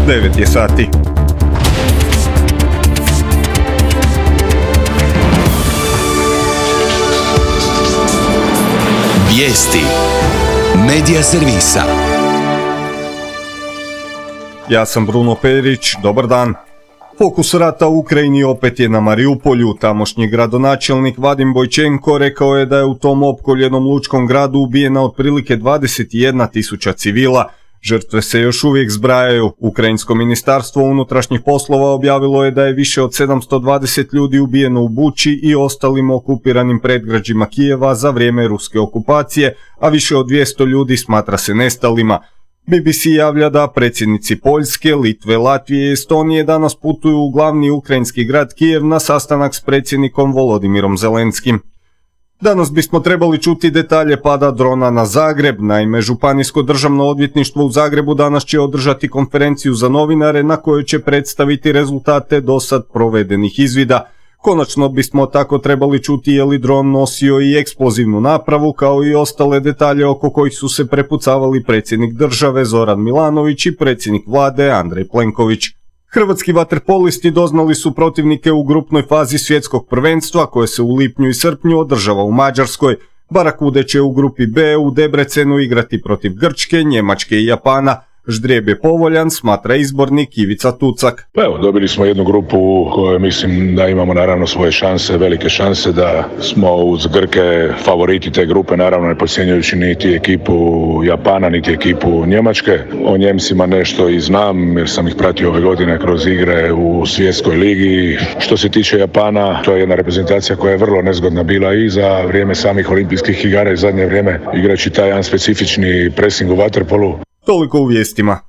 9 je sati. Vijesti Medija servisa. Ja sam Bruno Perić, dobar dan. Fokus rata u Ukrajini opet je na Mariupolju. Tamošnji gradonačelnik Vadim Bojčenko rekao je da je u tom opkoljenom lučkom gradu ubijena otprilike 21.000 civila. Žrtve se još uvijek zbrajaju. Ukrajinsko ministarstvo unutrašnjih poslova objavilo je da je više od 720 ljudi ubijeno u Buči i ostalim okupiranim predgrađima Kijeva za vrijeme ruske okupacije, a više od 200 ljudi smatra se nestalima. BBC javlja da predsjednici Poljske, Litve, Latvije i Estonije danas putuju u glavni ukrajinski grad Kijev na sastanak s predsjednikom Volodimirom Zelenskim. Danas bismo trebali čuti detalje pada drona na Zagreb. Naime, Županijsko državno odvjetništvo u Zagrebu danas će održati konferenciju za novinare na kojoj će predstaviti rezultate dosad provedenih izvida. Konačno bismo tako trebali čuti je li dron nosio i eksplozivnu napravu, kao i ostale detalje oko kojih su se prepucavali predsjednik države Zoran Milanović i predsjednik vlade Andrej Plenković. Hrvatski vaterpolisti doznali su protivnike u grupnoj fazi svjetskog prvenstva koje se u lipnju i srpnju održava u Mađarskoj. Barakude će u grupi B u Debrecenu igrati protiv Grčke, Njemačke i Japana. Ždrijeb je povoljan, smatra izbornik Ivica Tucak. Evo, dobili smo jednu grupu u kojoj mislim da imamo naravno svoje šanse, velike šanse, da smo uz Grke favoriti te grupe, naravno ne podcjenjujući niti ekipu Japana, niti ekipu Njemačke. O Njemcima nešto i znam jer sam ih pratio ove godine kroz igre u svjetskoj ligi. Što se tiče Japana, to je jedna reprezentacija koja je vrlo nezgodna bila i za vrijeme samih olimpijskih igara i zadnje vrijeme igrajući taj jedan specifični pressing u vaterpolu. Toliko u vijestima.